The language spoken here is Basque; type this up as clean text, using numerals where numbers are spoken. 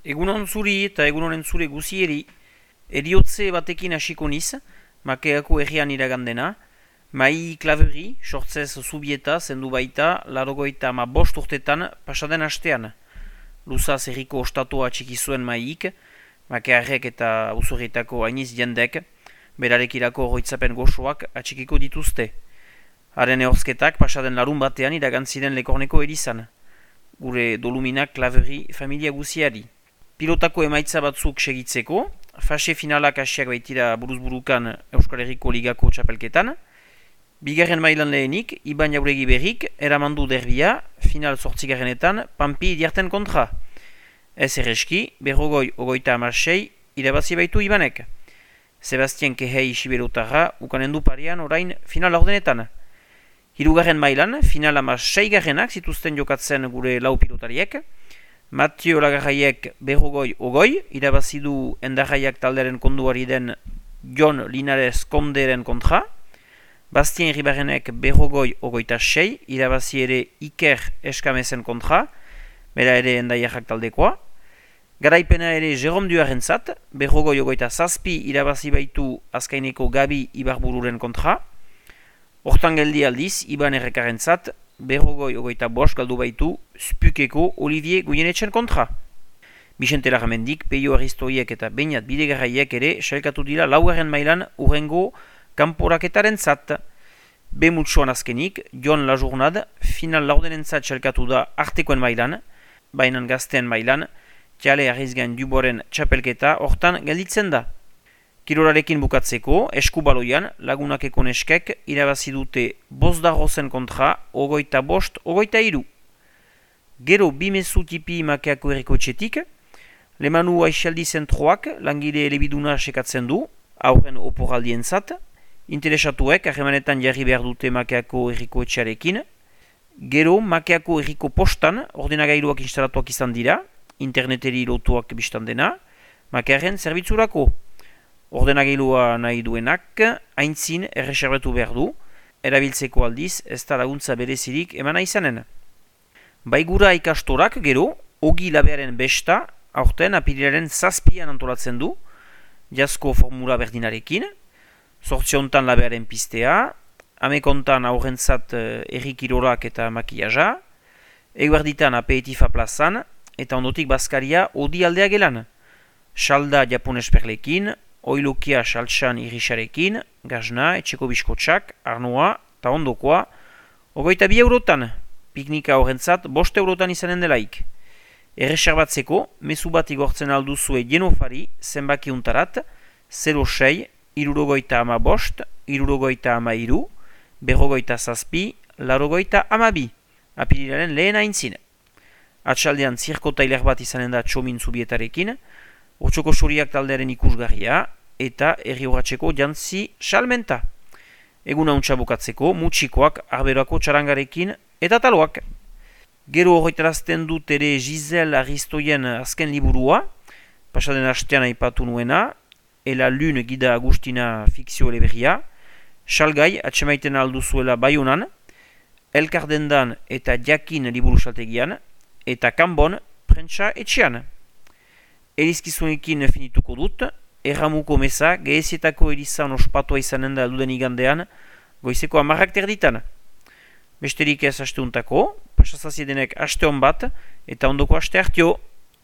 Egunon zuri eta egunoren zure guzieri, eriotze batekin hasiko niz, makeako herrian iragandena, mai klaveri, sortzez zubieta, zendu baita, larogoita ama bost urtetan pasaden hastean. Luzaz herriko ostatua txiki zuen maik, makearrek eta usurritako hainiz jendek, berarekirako horretzapen gozoak atxikiko dituzte. Haren ehorzketak pasaden larun batean iragantziren lekorneko erizan. Gure doluminak klaveri familia guziari. Pilotako emaitza batzuk segitzeko, fase finalak hasiak baitira buruzburukan Euskal Herriko Ligako txapelketan. Bigarren mailan lehenik, Iban Jauregi berrik, eramandu derbia, final zortzigarrenetan, Pampi diarten kontra. Ez erreski, berrogoi ogoita amasei, irabazi baitu Ibanek. Sebastian Kehei Siberotarra, ukanendu parean orain final ordenetan. Hirugarren mailan, final amaseigarrenak zituzten jokatzen gure lau pilotariek. Mateo Lagarraiek berrogoi ogoi, irabazidu endarraiak taldearen konduari den Jon Linares Konderen kontra. Bastien Ribarenek berrogoi ogoita sei, irabazi ere Iker Eskamezen kontra, bera ere endaiarrak taldekoa. Garaipena ere Jerome Duaren zat, berrogoi ogoita zazpi, irabazi baitu azkaineko Gabi Ibarbururen kontra. Hortan geldi aldiz, Iban Errekaren zat, berrogoi ogoita bost galdu baitu Spukeko Olivier Guyenetxen kontra. Bixente Larramendik, Peio Aristoiek eta Beñat Bidegarraiek ere sailkatu dira laugarren mailan urrengo kanporaketaren zat. Bemutsuan azkenik, Jon Lajournad, final laurdenen zat sailkatu da artekoen mailan, bainan gazten mailan, Jale Arrizgan Duboren txapelketa hortan gelditzen da. Kirolarekin bukatzeko, eskubaloian lagunakeko neskek irabazi dute Bosdarrozen kontra ogoita bost, ogoita iru. Gero bimezu tipi makeako herriko etxetik, Lemanu Aixaldi zentroak langile elebiduna sekatzen du, aurren oporaldien zat, interesatuek harremanetan jarri behar dute makeako herriko etxearekin. Gero makeako herriko postan ordenagailuak instalatuak izan dira, interneteri lotuak biztan dena, makearen zerbitzurako. Ordenagiloa nahi duenak, aintzin erreserbetu behar du, erabiltzeko aldiz ez da laguntza berezirik emana izanen. Baigura ikastorak gero, ogi labearen besta, aurten apirilaren zazpian antolatzen du, jasko formula berdinarekin, sortziontan labearen pistea, amekontan aurrentzat errikirorak eta makiaja, eguerditan apetifa plazan, eta ondotik bazkaria odi aldea gelan. Salda japones perlekin, oilokia saltsan irisarekin, gazna, etxeko biskotxak, arnoa, eta ondokoa, ogoita 2 eurotan, piknika horrentzat 5 eurotan izanen delaik. Erreserbatzeko, mezu bat igortzen alduzue jenofari zenbaki untarat, 06, irurogoita ama bost, irurogoita ama iru, berrogoita zazpi, larogoita ama bi, apirilaren lehen aintzin. Atxaldean zirkotailer bat izanen da txomin zubietarekin, Otxoko suriak taldearen ikusgarria eta herri horratzeko jantzi salmenta. Egun hauntza bukatzeko, mutxikoak arberoako txarangarekin eta taloak. Gero horretarazten dut ere Giselle Aristoien azken liburua, pasaden hastean aipatu nuena, Ela Lune Gida Agustina fikzio eleberria, salgai atxemaiten alduzuela Baionan, Elkardendan eta Jakin liburu saltegian, eta Kanbon prentsa etxean. Erizkizunekin finituko dut, erramuko meza, gehezietako erizan ospatua izanen da duden igandean, goizeko 10 terditan. Besterik ez asteuntako, pasazaziedenek aste hon bat, eta ondoko aste hartio.